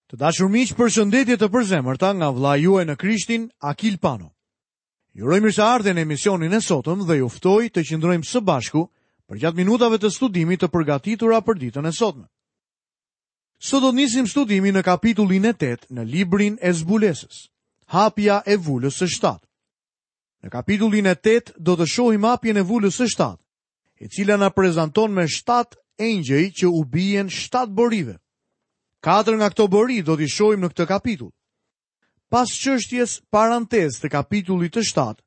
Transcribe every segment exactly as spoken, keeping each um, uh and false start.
Të dashur miq, përshëndetje të përzemërta nga vëllai juaj në Krishtin, Akil Pano. Ju uroj mirëseardhjen në emisionin e sotëm dhe ju ftoj të qëndrojmë së bashku përgjatë minutave të studimit të përgatitura për ditën e sotme. Sot do të nisim studimin në kapitullin e tetë në librin e Zbulesës, hapja e vulës së shtatë. Në kapitullin e tetë do të shohim hapjen e vulës së shtatë, e cila na prezanton me shtatë engjëj që u bien shtatë borive. Katër nga këto bori do t'i shohim në këtë kapitull. Pas çështjes parantezë të kapitullit të shtatë,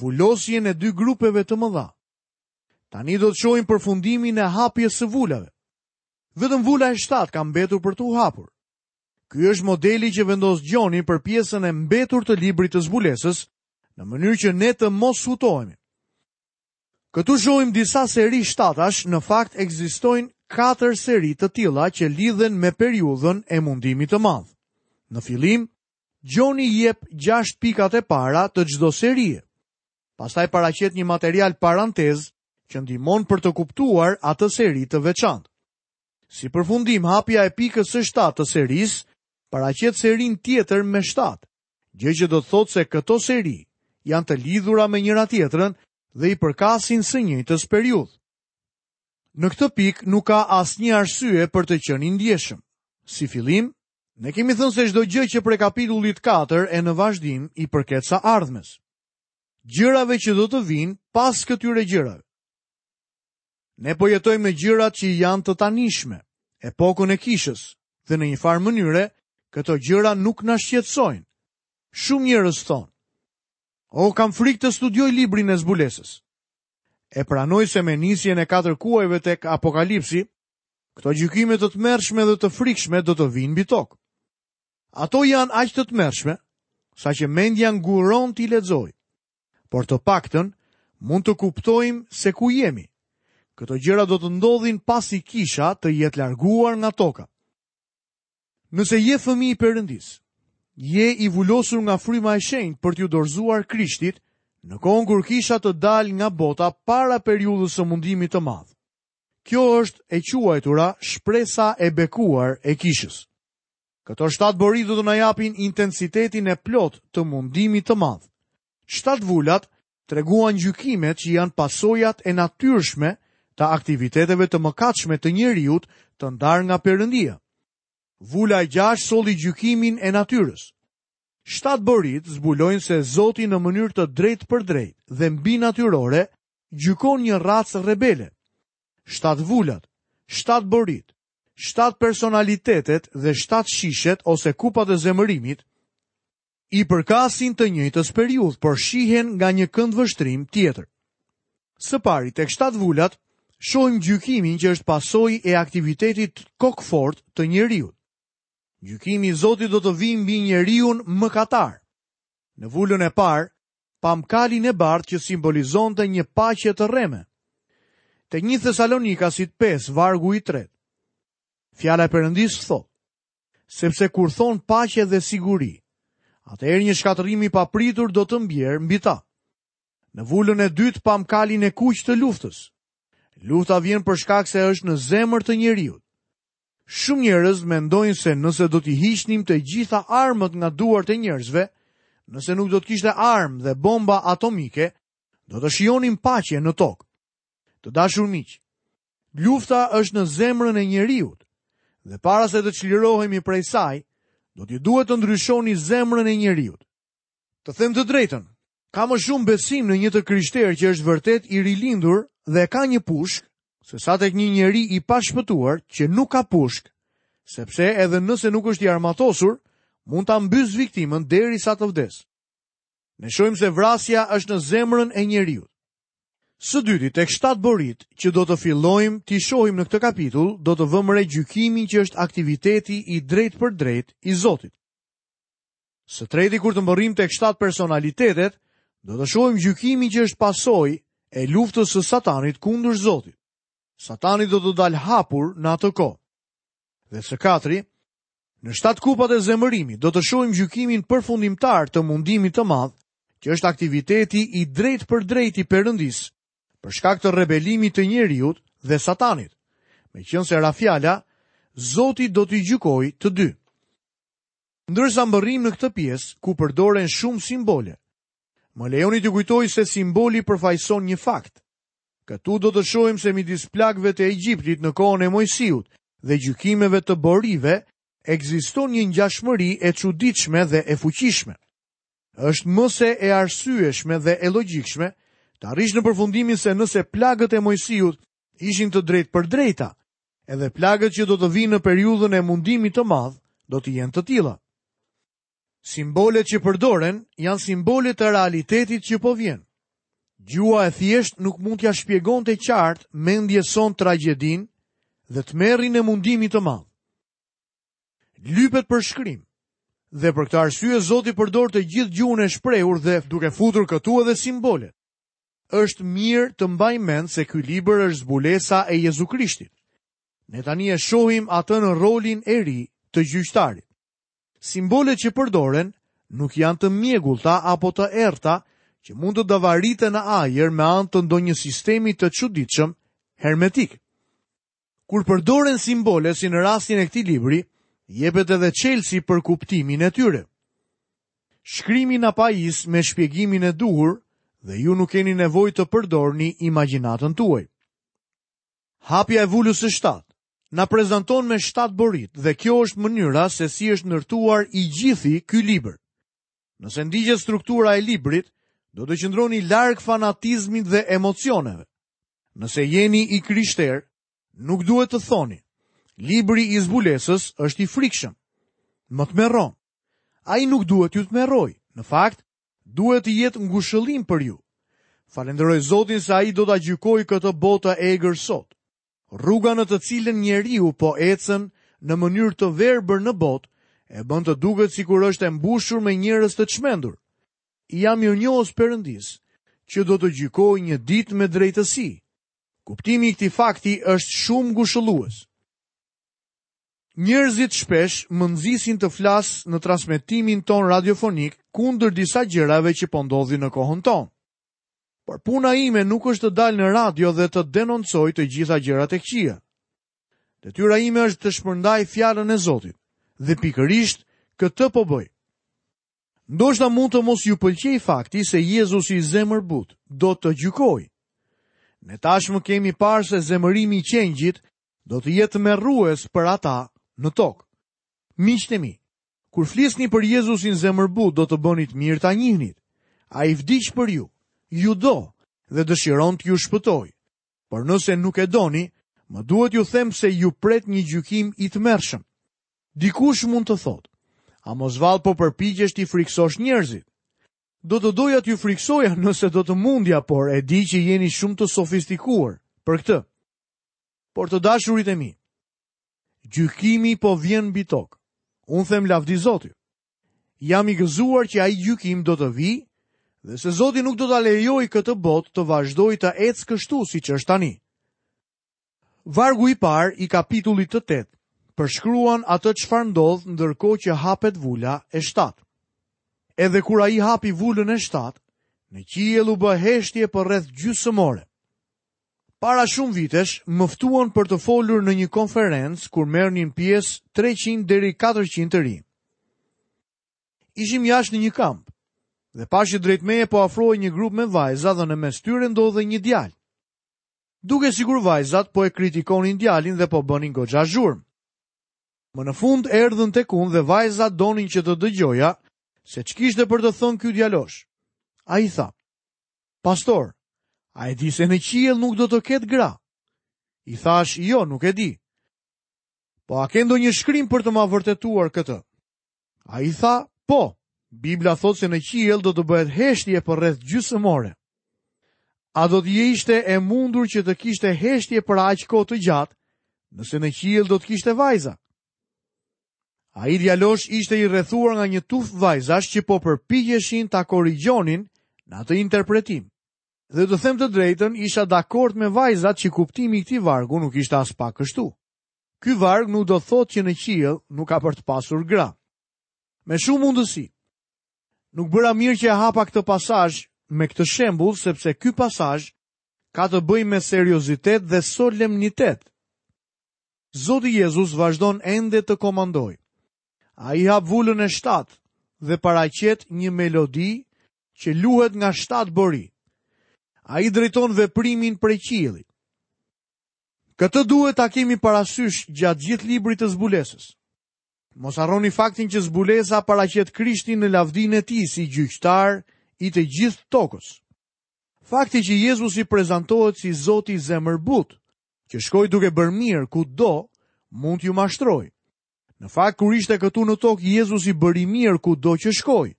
vulosjen e dy grupeve të mëdha. Tani do të shohim përfundimin e hapjes së vulave. Vetëm vula e shtatë ka mbetur për t'u hapur. Ky është modeli që vendos Gjoni për pjesën e mbetur të librit të zbulesës, në mënyrë që ne të mos hutohemi. Këtu shohim disa seri shtatash, në fakt ekzistojnë katër seri të tilla që lidhen me periudhën e mundimit të madh. Në fillim, Gjoni jep gjashtë pikat e para të çdo serie. Pastaj paraqet një material parantez që ndihmon për të kuptuar atë seri të veçantë. Si përfundim, hapja e pikës së shtatë të serisë paraqet serinë tjetër me shtatë, gjë që do të thotë se këto seri janë të lidhura me njëra tjetrën dhe i përkasin së njëjtës periudhë. Në këtë pikë nuk ka asnjë arsye për të qenë i ndjeshëm. Si fillim, ne kemi thënë se çdo gjë që prej kapitullit katër e në vazhdim i përket së ardhmes. Gjërave që do të vinë pas këtyre gjërave. Ne po jetojmë në gjërat që janë të tanishme, epokën e kishës, dhe në një farë mënyre, këto gjëra nuk na shqetësojnë. Shumë njerëz thonë: "O, kam frikë të studioj librin e zbulesës." E pranoj se me nisjen e katër kuajve tek Apokalipsi, këto gjykime të tmerrshme dhe të frikshme do të vinë mbi tokë. Ato janë aq të tmerrshme, saqë mendja nguron t'i lexojë. Por të paktën mund të kuptojmë se ku jemi. Këto gjëra do të ndodhin pasi kisha të jetë larguar nga toka. Nëse je fëmijë i Perëndisë, je i vulosur nga fryma e shenjtë për t'ju dorëzuar Krishtit në kohën kur kisha të dalë nga bota para periudhës së mundimit të madh. Kjo është e quajtura shpresa e bekuar e kishës. Këto shtatë bori do të na japin intensitetin e plot të mundimit të madh. Shtatë vulat treguan gjykimet që janë pasojat e natyrshme të aktiviteteve të mëkatshme të njeriut të ndarë nga Perëndia. Vula e gjashtë solli gjykimin e natyrës. Shtatë borit zbulojnë se Zoti në mënyrë të drejtë për drejtë dhe mbi natyrore gjykon një racë rebele. Shtatë vulat, shtatë borit, shtatë personalitetet dhe shtatë shishet ose kupat e zemërimit i përkasin të njëjtës periudhë, por shihen nga një këndvështrim tjetër. Së pari, tek shtatë vulat, shohim gjykimin që është pasojë e aktivitetit kokfort të njeriut. Gjykimi i Zotit do të vijë mbi njeriun mëkatar. Në vulën e parë, pam kalin e bardhë që simbolizonte një paqe të rreme. Te një Thesalonikasit pesë, vargu i tretë. Fjala e Perëndisë thotë: sepse kur thon paqe dhe siguri, atëherë një shkatërrim i papritur do të mbjerë mbi ta. Në vulën e dytë pam kalin e kuq të luftës. Lufta vjen për shkak se është në zemër të njeriut. Shumë njerëz mendojnë se nëse do t'i hiqnim të gjitha armët nga duart e njerëzve, nëse nuk do të kishte armë dhe bomba atomike, do të shijonim paqe në tokë. Të dashur miq, lufta është në zemrën e njeriut dhe para se të çlirohemi prej saj, do t'ju duhet të ndryshoni zemrën e njeriut. Të them të drejtën, ka më shumë besim në një të krishterë që është vërtet i rilindur dhe ka një pushk, se sa tek një njeri i pashpëtuar që nuk ka pushk, sepse edhe nëse nuk është i armatosur, mund ta mbys viktimën derisa të vdes. Ne shohim se vrasja është në zemrën e njeriut. Së dyti, tek shtatë borit që do të fillojmë t'i shohim në këtë kapitull, do të vëmë re gjykimin që është aktiviteti i drejtë për drejtë i Zotit. Së treti, kur të mbërrim tek shtatë personalitetet, do të shohim gjykimin që është pasojë e luftës së Satanit kundër Zotit. Satani do të dalë hapur në atë kohë. Dhe së katri, në shtatë kupat e zemërimit do të shohim gjykimin përfundimtar të mundimit të madh, që është aktiviteti i drejtë për drejtë i Perëndisë, për shkak të rebelimit të njeriut dhe Satanit. Meqense ra fjala, Zoti do t'i gjykojë të dy. Ndërsa mbërrijmë në këtë pjesë ku përdoren shumë simbole, më lejoni t'ju kujtoj se simboli përfaqëson një fakt. Këtu do të shohim se midis plagëve të Egjiptit në kohën e Mojsiut dhe gjykimeve të borive ekziston një ngjashmëri e çuditshme dhe e fuqishme. Është më se e arsyeshme dhe e logjikshme të arrish në përfundimin se nëse plagët e Mojsiut ishin të drejtpërdrejta, edhe plagët që do të vinë në periudhën e mundimit të madh do të jenë të tilla. Simbolet që përdoren janë simbole të realitetit që po vjen. Gjuha e thjeshtë nuk mund t'ia shpjegonte qartë mendjes sonë tragjedinë dhe tmerrin e mundimit të madh. Lypet përshkrim. Dhe për këtë arsye Zoti përdor të gjithë gjuhën e shprehur dhe duke futur këtu edhe simbolet. Është mirë të mbaj mend se ky libër është zbulesa e Jezu Krishtit. Ne tani e shohim atë në rolin e ri të gjyqtarit. Simbolet që përdoren nuk janë të mjegullta apo të errta që mund të davariten në ajër me anë të ndonjë sistemi të çuditshëm hermetik. Kur përdoren simbole si në rastin e këtij libri, jepet edhe çelësi për kuptimin e tyre. Shkrimi na pajis me shpjegimin e duhur dhe ju nuk keni nevojë të përdorni imagjinatën tuaj. Hapja e vulës së shtatë na prezanton me shtatë borit dhe kjo është mënyra se si është ndërtuar i gjithi ky libër. Nëse ndiqet struktura e librit, do të qëndroni larg fanatizmit dhe emocioneve. Nëse jeni i krishter, nuk duhet të thoni, libri i zbulesës është i frikshëm. Më tmerron. Ai nuk duhet t'ju tmerrojë. Në fakt, duhet të jetë ngushëllim për ju. Falenderoj Zotin se ai do ta gjykojë këtë botë të egër sot. Rruga në të cilën njeriu po ecën në mënyrë të verbër në botë, e bën të duket sikur është e mbushur me njerëz të çmendur. I jam mirënjohës Perëndis, që do të gjykojë një ditë me drejtësi. Kuptimi i këtij fakti është shumë ngushëllues. Njerëzit shpesh më nxisin të flas në transmetimin ton radiofonik kundër disa gjërave që po ndodhin në kohën tonë. Por puna ime nuk është të dal në radio dhe të denoncoj të gjitha gjërat e këqija. Detyra ime është të shpërndaj fjalën e Zotit dhe pikërisht këtë po bëj. Ndoshta mund të mos ju pëlqej fakti se Jezusi zemërbut do të gjykojë. Ne tashmë kemi parë se zemërimi i qengjit do të jetë tmerrues për ata në tokë. Miqtë e mi, kur flisni për Jezusin zemërbut, do të bënit mirë ta njihnit. Ai vdiq për ju, ju do dhe dëshiron t'ju shpëtojë. Por nëse nuk e doni, më duhet ju them se ju pret një gjykim i tmerrshëm. Dikush mund të thotë, a mos vallë po përpiqesh t'i friksosh njerëzit? Do të doja t'ju friksoja nëse do të mundja, por e di që jeni shumë të sofistikuar për këtë. Por të dashurit e mi, gjykimi po vjen mbi tokë. Unë them lavdi Zotit. Jam i gëzuar që ai gjykim do të vijë dhe se Zoti nuk do ta lejojë këtë botë të vazhdojë të ecë kështu siç është tani. Vargu i parë i kapitullit të tetë përshkruan atë çfarë ndodh ndërkohë që hapet vula e shtatë. Edhe kur ai hapi vulën e shtatë, në qiell u bë heshtje për rreth gjysmë ore. Para shumë vitesh më ftuan për të folur në një konferencë kur merrnin pjesë treqind deri katërqind të rinj. Ishim jashtë në një kamp dhe pashë drejt meje po afrohej një grup me vajza dhe në mes tyre ndodhej një djalë. Duke sikur vajzat po e kritikonin djalin dhe po bënin goxha zhurmë. Më në fund erdhën tek unë dhe vajzat donin që të dëgjoja se ç'kishte për të thënë ky djalosh. Ai tha: "Pastor, a e di se në qiell nuk do të ketë gra?" I thash: "Jo, nuk e di." Po a ke ndonjë shkrim për të ma vërtetuar këtë? Ai tha: "Po, Bibla thotë se në qiell do të bëhet heshtje për rreth gjysmë ore." A do të ishte e mundur që të kishte heshtje për aq kohë të gjatë, nëse në qiell do të kishte vajza? Ai djalosh ishte i rrethuar nga një tufë vajzash që po përpiqeshin ta korrigjonin në atë interpretim. Dhe të them të drejtën, isha dakord me vajzat që kuptimi i këtij vargu nuk ishte as pak kështu. Ky varg nuk do thotë që në qiell nuk ka për të pasur gra. Me shumë mundësi. Nuk bëra mirë që e hapa këtë pasazh me këtë shembull, sepse ky pasazh ka të bëjë me seriozitet dhe solemnitet. Zoti Jezus vazhdon ende të komandojë. Ai hap vulën e shtatë dhe paraqet një melodi që luhet nga shtatë bori. Ai drejton veprimin prej qiellit. Këtë duhet ta kemi parasysh gjatë gjithë librit të zbulesës. Mos harroni faktin që zbulesa paraqet Krishtin në lavdinë e tij si gjyqtar i të gjithë tokës. Fakti që Jezusi prezantohet si Zoti zemërbut, që shkoi duke bërë mirë kudo, mund t'ju mashtrojë. Në fakt, kur ishte këtu në tokë, Jezusi bëri mirë kudo që shkoi,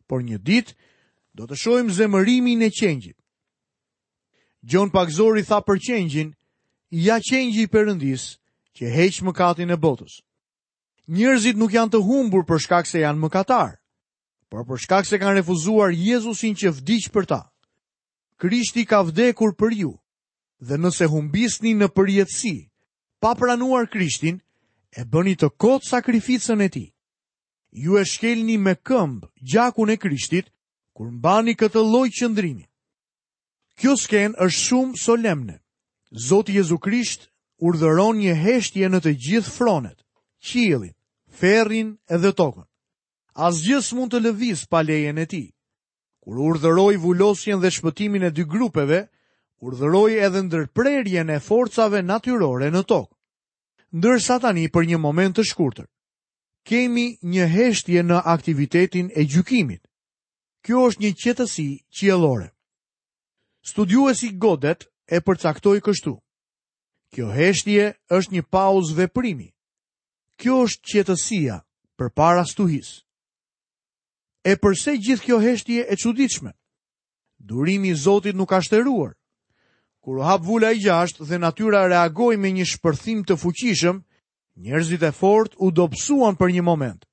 por një ditë do të shohim zemërimin e qengjit. Gjon Pagëzori tha për qengjin, ja qengji i Perëndisë që heq mëkatin e botës. Njerëzit nuk janë të humbur për shkak se janë mëkatar, por për shkak se kanë refuzuar Jezusin që vdiq për ta. Krishti ka vdekur për ju, dhe nëse humbisni në përjetësi, pa pranuar Krishtin, e bëni të kotë sakrificën e tij. Ju e shkelni me këmbë gjakun e Krishtit, kur mbani këtë lloj qëndrimi. Kjo skenë është shumë solemne. Zoti Jezu Krisht urdhëron një heshtje në të gjithë fronet, qiellin, ferrin edhe tokën. Asgjë s'mund të lëviz pa lejen e tij. Kur urdhëroi vulosjen dhe shpëtimin e dy grupeve, urdhëroi edhe ndërprerjen e forcave natyrore në tokë. Ndërsa tani për një moment të shkurtër, kemi një heshtje në aktivitetin e gjykimit. Kjo është një qetësi qiellore. Studiuesi Godet e përcaktoi kështu. Kjo heshtje është një pauzë veprimi. Kjo është qetësia përpara stuhisë. E përse gjithë kjo heshtje e çuditshme? Durimi i Zotit nuk ka shteruar. Kur u hap vula e gjashtë dhe natyra reagoi me një shpërthim të fuqishëm, njerëzit e fortë u dobësuan për një moment.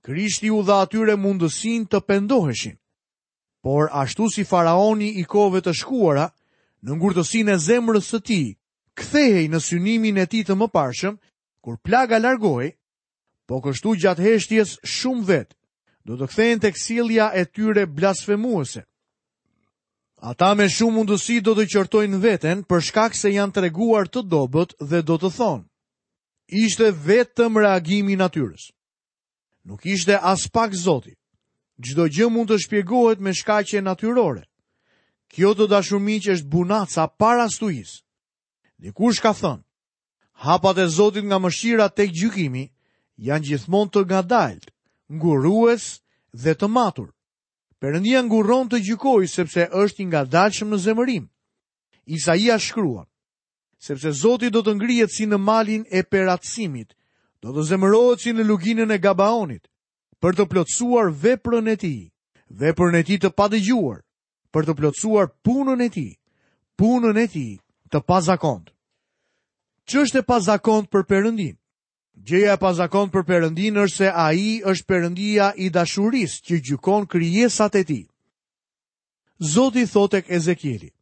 Krishti u dha atyre mundësinë të pendoheshin. Por ashtu si faraoni i kohëve të shkuara, në ngurtësinë e zemrës së tij, kthehej në synimin e tij të mëparshëm, kur plaga largohej, po kështu gjatë heshtjes shumë vet do të kthehen tek sjellja e tyre blasfemuese. Ata me shumë mundësi do të qortojnë veten për shkak se janë treguar të dobët dhe do të thonë, ishte vetëm reagimi i natyrës. Nuk ishte as pak Zoti. Çdo gjë mund të shpjegohet me shkaqe natyrore. Kjo të dashur miq është bunaca para stuhisë. Dikush ka thënë, hapat e Zotit nga mëshira tek gjykimi janë gjithmonë të ngadaltë, ngurrues dhe të matur. Perëndia ngurron të gjykojë sepse është i ngadalshëm në zemërim. Isaia shkruan, sepse Zoti do të ngrihet si në malin e Peratsimit, do të zemërohet si në luginën e Gabaonit, për të plotësuar veprën e tij, veprën e tij të padëgjuar, për të plotësuar punën e tij, punën e tij të pazakontë. Ç'është e pazakontë për Perëndin? Gjëja e pazakontë për Perëndin është se ai është Perëndia i dashurisë që gjykon krijesat e tij. Zoti thotë tek Ezekieli,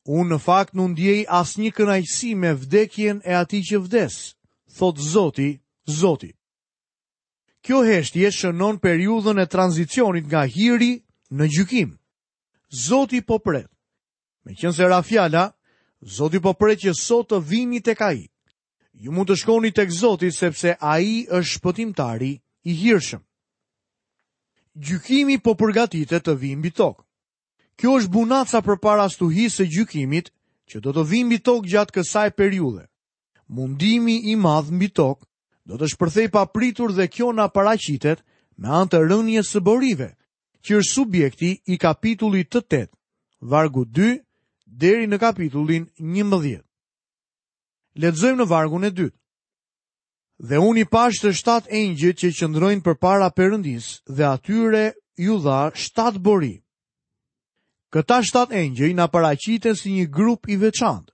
unë në fakt nuk ndjej asnjë kënaqësi me vdekjen e atij që vdes, thotë Zoti, Zoti. Kjo heshtje shënon periudhën e tranzicionit nga hiri në gjykim. Zoti po pret. Meqense ra fjala, Zoti po pret që sot të vini tek ai. Ju mund të shkoni tek Zoti sepse ai është shpëtimtari i hirshëm. Gjykimi po përgatitet të vijë mbi tokë. Kjo është bunaca përpara stuhisë së gjykimit që do të vijë mbi tokë gjatë kësaj periudhe. Mundimi i madh mbi tokë do të shpërthej papritur dhe kjo na paraqitet me anë të rënies së borive, që është subjekti i kapitullit të tetë, vargu dy deri në kapitullin njëmbëdhjetë. Lexojmë në vargun e dytë. Dhe unë i pash të shtatë engjëjt që qëndrojnë përpara Perëndisë dhe atyre ju dha shtatë bori. Këta shtatë engjëj na paraqiten si një grup i veçantë.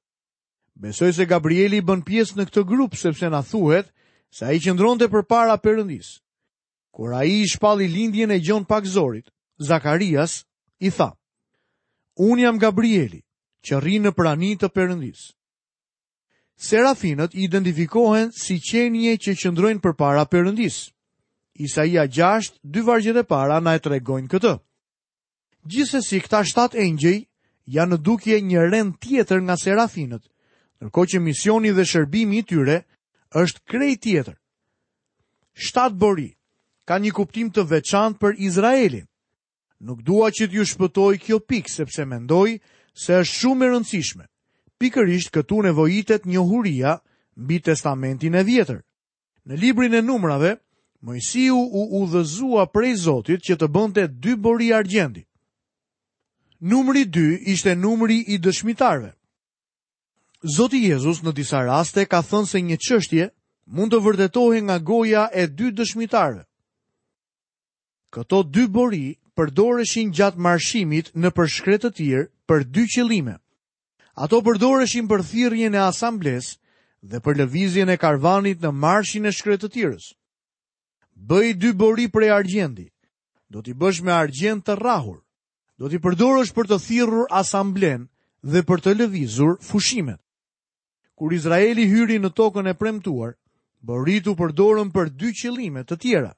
Besoj se Gabrieli bën pjesë në këtë grup sepse na thuhet se ai qëndronte përpara Perëndisë. Kur ai i shpalli lindjen e Gjon Pagëzorit, Zakarias i tha: Unë jam Gabrieli, që rri në prani të Perëndisë. Serafinët identifikohen si qenie që qëndrojnë përpara Perëndisë. Isaia gjashtë, dy vargjet e para na e tregojnë këtë. Gjithsesi këta shtatë engjëj janë në dukje një rend tjetër nga serafinët, ndërkohë që misioni dhe shërbimi i tyre është krejt tjetër. Shtatë bori ka një kuptim të veçantë për Izraelin. Nuk dua që t'ju shpëtoj kjo pikë, sepse mendoj se është shumë e rëndësishme. Pikërisht këtu nevojitet njohuria mbi Testamentin e Vjetër. Në librin e Numrave, Moisiu u udhëzua prej Zotit që të bënte dy bori argjendi. Numri dy ishte numri i dëshmitarëve. Zoti Jezus në disa raste ka thënë se një çështje mund të vërtetohej nga goja e dy dëshmitarëve. Këto dy bori përdoreshin gjatë marshimit nëpër shkretëtirë për dy qëllime. Ato përdoreshin për thirrjen e asamblesë dhe për lëvizjen e karvanit në marshin e shkretëtirës. Bëj dy bori prej argjendi. Do t'i bësh me argjend të rrahur. Do t'i përdorësh për të thirrur asamblen dhe për të lëvizur fushimet. Kur Izraeli hyri në tokën e premtuar, boritë u përdorën për dy qëllime të tjera.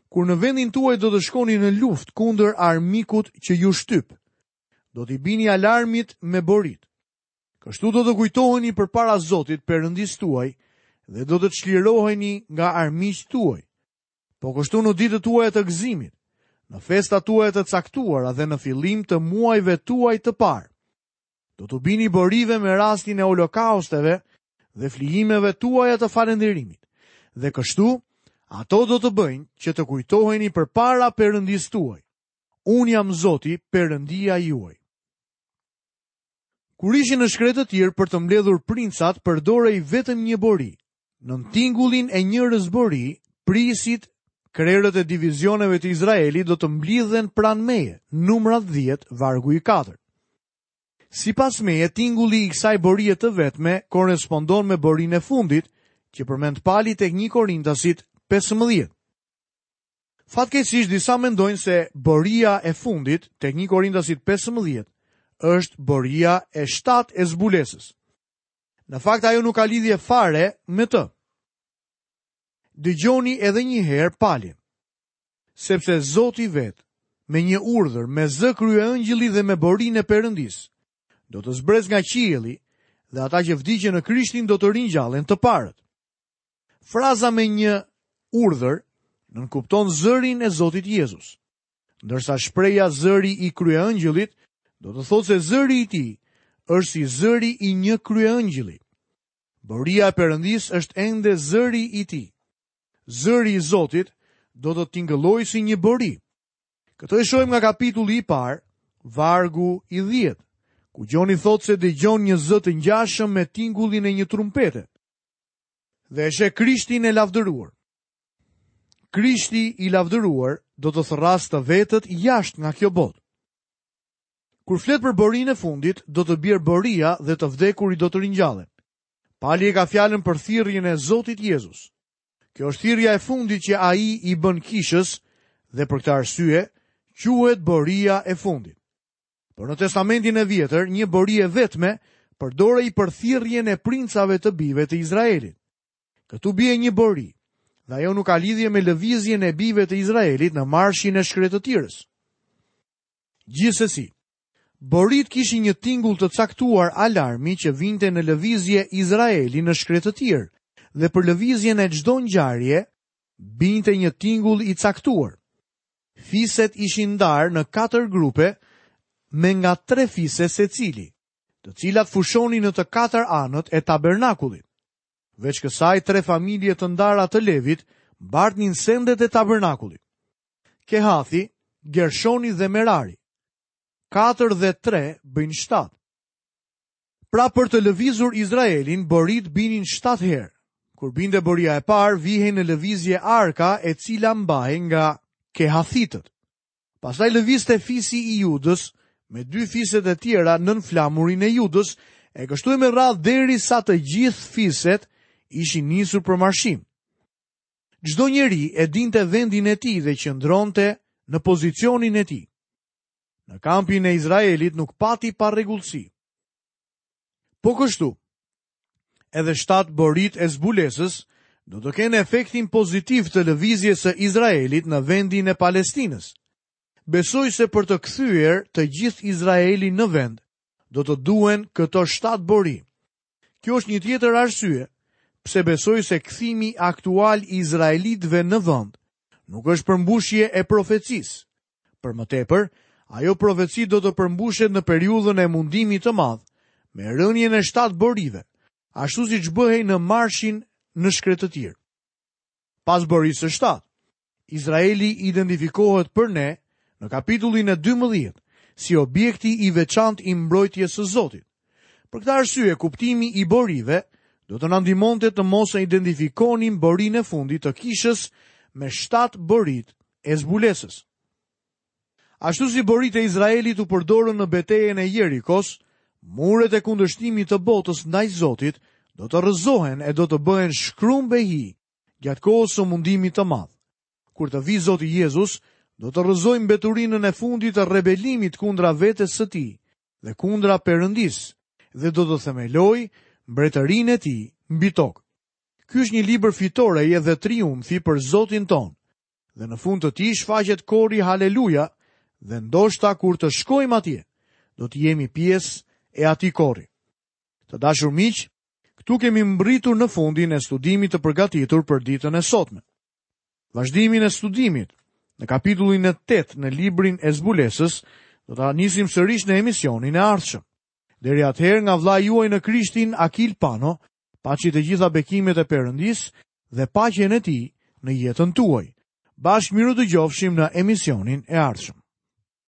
Kur në vendin tuaj do të shkoni në luftë kundër armikut që ju shtyp, do t'i bini alarmit me borit. Kështu do të kujtoheni përpara Zotit Perëndisë tuaj dhe do të çliroheni nga armiqtë tuaj. Po kështu në ditët tuaja të gëzimit, në festat tuaja të caktuara dhe në fillim të muajve tuaj të parë. Do t'u bini borive me rastin e holokausteve dhe flijimeve tuaja të falënderimit. Dhe kështu, ato do të bëjnë që të kujtoheni përpara Perëndisë tuaj. Unë jam Zoti, Perëndia juaj. Kur ishin në shkretëtirë për të mbledhur princat, përdorej vetëm një bori. Nën tingullin e njërës bori, prisit, krerët e divizioneve të Izraelit do të mblidhen pranë meje, numrat dhjetë, vargu i katër. Sipas meje, tingulli i kësaj borie të vetme korrespondon me borinë e fundit, që përmend Pali tek një Korintasit pesëmbëdhjetë. Fatkeqësisht disa mendojnë se boria e fundit tek një Korintasit pesëmbëdhjetë është boria e shtatë e zbulesës. Në fakt ajo nuk ka lidhje fare me të. Dëgjoni edhe një herë Palin. Sepse Zoti vet, me një urdhër, me zë kryeëngjëlli dhe me borinë e Perëndisë, do të zbres nga qielli dhe ata që vdiqën në Krishtin do të ringjallen të parët. Fraza me një urdhër nënkupton zërin e Zotit Jezus, ndërsa shpreha zëri i kryeëngjëllit do të thotë se zëri i tij është si zëri i një kryeëngjëlli. Boria e Perëndisë është ende zëri i tij. Zëri i Zotit do të tingëllojë si një bori. Këtë e shohim nga kapitulli i parë, vargu i dhjetë, ku Gjoni thotë se dëgjon një zë të ngjashëm me tingullin e një trumpete. Dhe e sheh Krishtin e lavdëruar. Krishti i lavdëruar do të thërrasë të vetët jashtë nga kjo botë. Kur flet për borinë e fundit, do të bjerë boria dhe të vdekurit do të ringjallen. Pali e ka fjalën për thirrjen e Zotit Jezus. Kjo është thirrja e fundit që ai i bën kishës dhe për këtë arsye quhet boria e fundit. Por në Testamentin e Vjetër, një bori e vetme përdorej për thirrjen e princave të bijve të Izraelit. Këtu bie një bori, dhe ajo nuk ka lidhje me lëvizjen e bijve të Izraelit në marshin e shkretëtirës. Gjithsesi, borit kishin një tingull të caktuar alarmi që vinte në lëvizje Izraeli në shkretëtirë, dhe për lëvizjen e çdo ngjarje binte një tingull i caktuar. Fiset ishin ndarë në katër grupe me nga tre fise secili, të cilat fushonin në të katër anët e tabernakullit. Veç kësaj, tre familje të ndara të Levit mbartnin sendet e tabernakullit. Kehathi, Gershoni dhe Merari. Katër dhe tre bëjnë shtatë. Pra për të lëvizur Izraelin, borit binin shtatë herë. Kur binte boria e parë, vihej në lëvizje arka e cila mbahej nga Kehathitët. Pastaj lëvizte fisi i Judës me dy fiset e tjera nën flamurin e Judës, e kështu e me radhë deri sa të gjithë fiset ishin nisur për marshim. Çdo njeri e dinte vendin e tij dhe qëndronte në pozicionin e tij. Në kampin e Izraelit nuk pati parregullsi. Po kështu, edhe shtatë borit e zbulesës do të kenë efektin pozitiv të lëvizjes së Izraelit në vendin e Palestinës. Besoj se për të kthyer të gjithë Izraelin në vend, do të duhen këto shtatë bori. Kjo është një tjetër arsye pse besoj se kthimi aktual i izraelitëve në vend nuk është përmbushje e profecisë. Për më tepër, ajo profeci do të përmbushet në periudhën e mundimit të madh, me rënien e shtatë borive, ashtu siç bëhej në marshin në shkretëtirë. Pas borisë së shtatë, Izraeli identifikohet për ne në kapitullin e dymbëdhjetë si objekti i veçantë i mbrojtjes së Zotit. Për këtë arsye, kuptimi i borive do të na ndihmonte të mos e identifikonim borinë e fundit të kishës me shtatë boritë e zbulesës. Ashtu si boritë e Izraelit u përdorën në betejën e Jerikos, muret e kundërshtimit të botës ndaj Zotit do të rrëzohen e do të bëhen shkrumb e hi gjatë kohës së mundimit të madh. Kur të vijë Zoti Jezus, do të rrëzojë mbeturinën e fundit të rebelimit kundra vetes së tij dhe kundra Perëndisë dhe do të themelojë mbretërinë e tij mbi tokë. Ky është një libër fitoreje dhe triumfi për Zotin tonë. Dhe në fund të tij shfaqet kori Haleluja dhe ndoshta kur të shkojmë atje, do të jemi pjesë e atij kori. Të dashur miq, këtu kemi mbritur në fundin e studimit të përgatitur për ditën e sotme. Vazhdimin e studimit në kapitullin e tetë në librin e zbulesës do ta nisim sërish në emisionin e ardhshëm. Deri atëherë nga vëllai juaj në Krishtin Akil Pano, paçi të gjitha bekimet e Perëndisë dhe paqen e tij në jetën tuaj. Bashkë mirudëgjofshim në emisionin e ardhshëm.